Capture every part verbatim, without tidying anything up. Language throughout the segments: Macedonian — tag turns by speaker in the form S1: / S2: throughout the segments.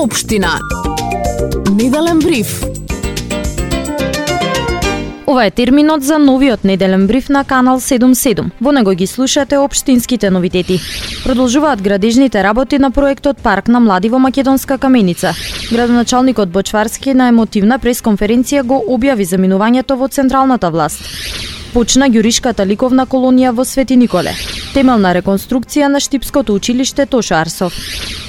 S1: општина. Неделен бриф.
S2: Ова е терминот за новиот неделен бриф на Канал седум седум. Во него ги слушате општинските новитети. Продолжуваат градежните работи на проектот Парк на млади во Македонска Каменица. Градоначалникот Бочварски на емотивна пресконференција го објави заминувањето во централната власт. Почна Ѓуришката ликовна колонија во Свети Николе. Темелна реконструкција на Штипското училиште Тошо Арсов.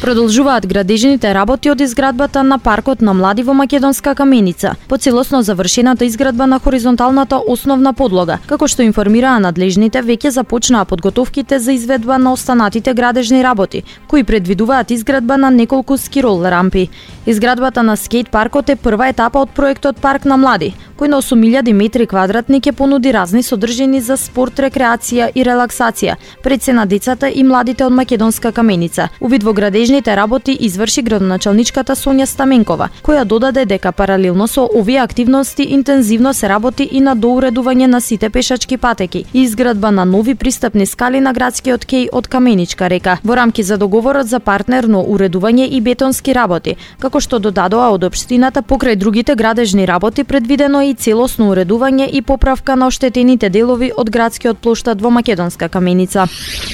S2: Продолжуваат градежните работи од изградбата на Паркот на млади во Македонска Каменица, по целосно завршената изградба на хоризонталната основна подлога. Како што информираа надлежните, веќе започнаа подготовките за изведба на останатите градежни работи, кои предвидуваат изградба на неколку скирол рампи. Изградбата на скејт паркот е прва етапа од проектот Парк на млади, кој на осум илјади метри квадратни ќе понуди разни содржини за спорт, рекреација и релаксација пред се на децата и младите од Македонска Каменица. Увид во градежните работи изврши градоначалничката Сонја Стаменкова, која додаде дека паралелно со овие активности интензивно се работи и на доуредување на сите пешачки патеки и изградба на нови пристапни скали на градскиот кеј од Каменичка река, во рамки за договорот за партнерно уредување и бетонски работи, како што додадоа од општината. Покрај другите градежни работи предвидено и целосно уредување и поправка на оштетените делови од градскиот плоштад во Македонска Каменица.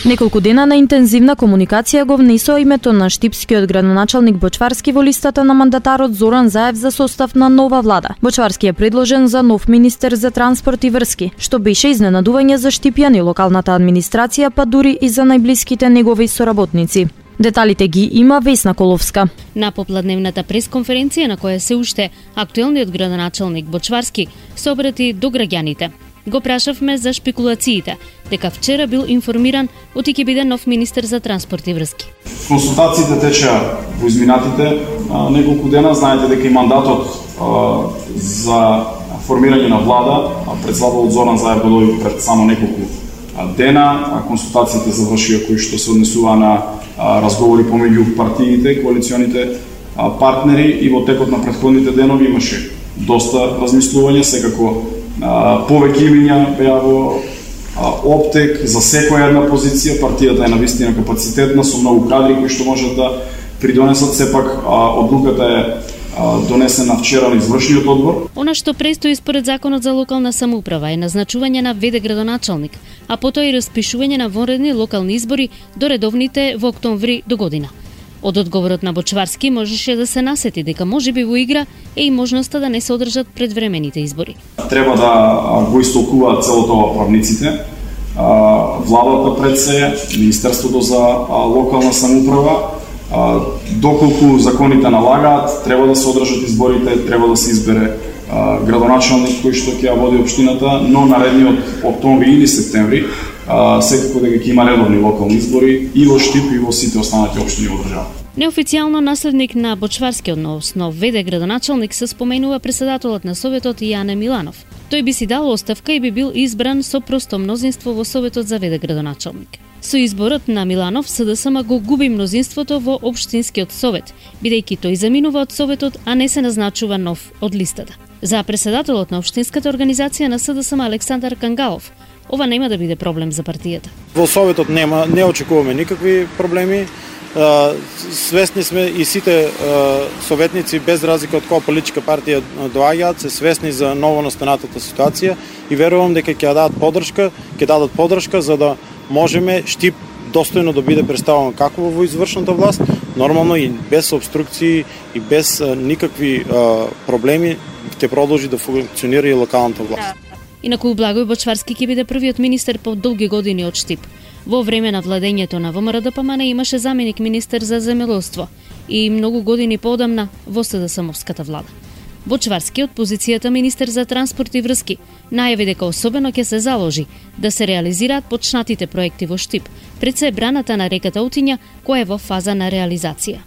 S2: Неколку дена на интензивна комуникација го внесоа името на штипскиот градоначалник Бочварски во листата на мандатарот Зоран Заев за состав на нова влада. Бочварски е предложен за нов министер за транспорт и врски, што беше изненадување за штипјани, локалната администрација, па дури и за најблиските негови соработници. Деталите ги има Весна Коловска.
S3: На попладневната пресконференција на која се уште актуелниот градоначалник Бочварски се обрати до граѓаните. Го прашавме за шпекулациите, дека вчера бил информиран оти ќе биде нов министер за транспорт и врски.
S4: Консултациите течеа во изминатите а, неколку дена. Знаете дека и мандатот а, за формирање на влада, председателот Зоран Заев го доби пред само неколку а, дена. А, консултациите завршија кои што се однесува на а, разговори помеѓу партиите, коалиционите а, партнери, и во текот на претходните денови имаше доста размислување, секако Uh, повеќе имиња беа во uh, оптек за секоја една позиција. Партијата е навистина капацитетна со многу кадри кои што можат да придонесат. Сепак uh, одлуката е uh, донесена вчера на извршниот одбор.
S3: Она што престои според законот за локална самоуправа е назначување на ве де градоначалник, а потоа и распишување на вонредни локални избори до редовните во октомври до година. Од одговорот на Бочварски можеше да се насети дека можеби во игра е и можноста да не се одржат предвремените избори.
S4: Треба да го истолкуваат целото ова правниците, владата пред се, Министерството за локална самоуправа, доколку законите налагаат, треба да се одржат изборите, треба да се избере градоначалник кој што ќе ја води општината, но наредниот октомври или септември секако дека ќе има редовни локални избори и во Штип и во сите останати општини во држава.
S3: Неофицијално наследник на Бочварски, односно ве де градоначалник, се споменува председателот на Советот Јане Миланов. Тој би си дал оставка и би бил избран со просто мнозинство во Советот за ве де градоначалник. Со изборот на Миланов, Се Де Ес Ем го губи мнозинството во Општинскиот совет, бидејќи тој заминува од Советот, а не се назначува нов од листата. За председателот на Општинската организација на Се Де Ес Ем Александар Кангалов, ова нема да биде проблем за партијата.
S5: Во Советот нема, не очекуваме никакви проблеми. Свесни сме и сите советници, без разлика од која политичка партија доаѓаат, се свесни за новонастанатата ситуација и верувам дека ќе дадат поддршка, ќе дадат поддршка за да можеме Штип достојно да биде представен како во извршната власт, нормално и без обструкции и без никакви проблеми ќе продолжи да функционира и локалната власт.
S3: Инаку Благој Бочварски ќе биде првиот министер по долги години од Штип. Во време на владењето на Вэ Ем Ар Де Пе Ем Ен имаше заменик министер за земјоделство и многу години поодамна во Се Де Ес Ем-овската влада. Бочварски од позицијата министер за транспорт и врски најави дека особено ќе се заложи да се реализираат почнатите проекти во Штип, пред се браната на реката Утиња, која е во фаза на реализација.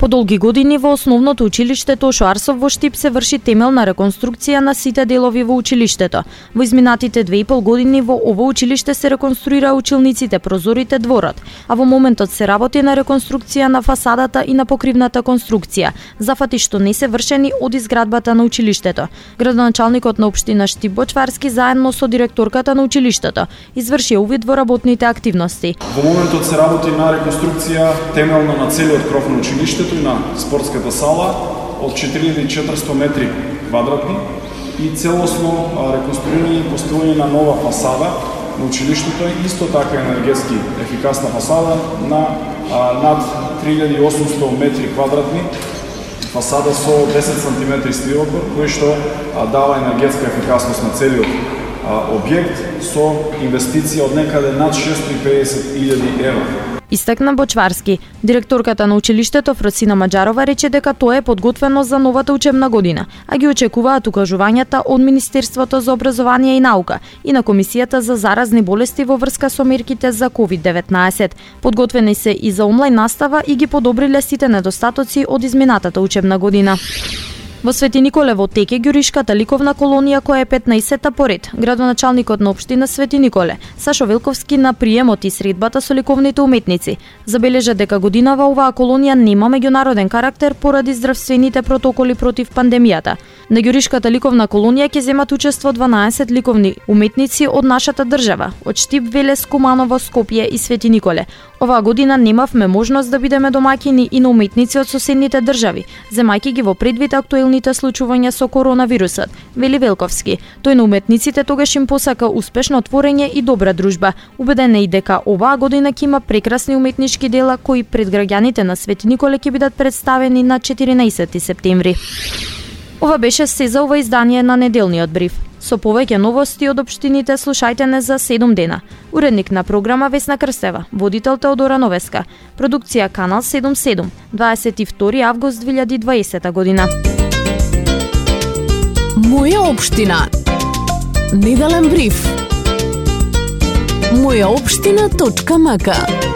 S2: По долги години во основното училиште Тошо Арсов во Штип се врши темелна реконструкција на сите делови во училиштето. Во изминатите две и пол години во ово училиште се реконструира училниците, прозорите, дворот, а во моментот се работи на реконструкција на фасадата и на покривната конструкција, зафати што не се вршени од изградбата на училиштето. Градоначалникот на општина Штип Бочварски заедно со директорката на училиштето изврши увид во работните активности.
S4: Во моментот се работи на реконструкција темелна на целиот кров на училиштето, училиштето и на спортската сала од четири илјади и четиристотини метри квадратни и целосно реконструирање и поставување на нова фасада на училиштето, исто така енергетски ефикасна фасада на а, над три илјади и осумстотини метри квадратни, фасада со десет сантиметри стилокор, кој што а, дава енергетска ефикасност на целиот а, објект со инвестиција од некаде над шестоста и педесет илјади евра.
S2: Истакна Бочварски. Директорката на училиштето Фросина Маџарова рече дека тоа е подготвено за новата учебна година, а ги очекуваат укажувањата од Министерството за образование и наука и на Комисијата за заразни болести во врска со мерките за ковид деветнаесет. Подготвени се и за онлайн настава и ги подобриле сите недостатоци од изминатата учебна година. Во Свети Николе во теке ѓуришката ликовна колонија која е петнаесетта поред. Градоначалникот на општина Свети Николе, Сашо Велковски, на приемот и средбата со ликовните уметници забележа дека годинава оваа колонија нема меѓународен карактер поради здравствените протоколи против пандемијата. На ѓуришката ликовна колонија ќе земат учество дванаесет ликовни уметници од нашата држава, од Штип, Велес, Куманово, Скопје и Свети Николе. Оваа година немавме можност да бидеме домаќини и на уметници од соседните држави, земајќи ги во предвид актуелните случувања со коронавирусот, вели Велковски. Тој на уметниците тогаш им посака успешно творење и добра дружба. Убеден е и дека оваа година ќе има прекрасни уметнички дела кои пред граѓаните на Свети Николе ќе бидат представени на четиринаесети септември. Ова беше се за ова издание на неделниот бриф. Со повеќе новости од општините слушајте не за седум дена. Уредник на програма Весна Крстева, водител Теодора Новеска, продукција Канал седум седум, дваесет и втори август две илјади и дваесета година.
S1: Моја општина. Неделен бриф. моја општина точка м к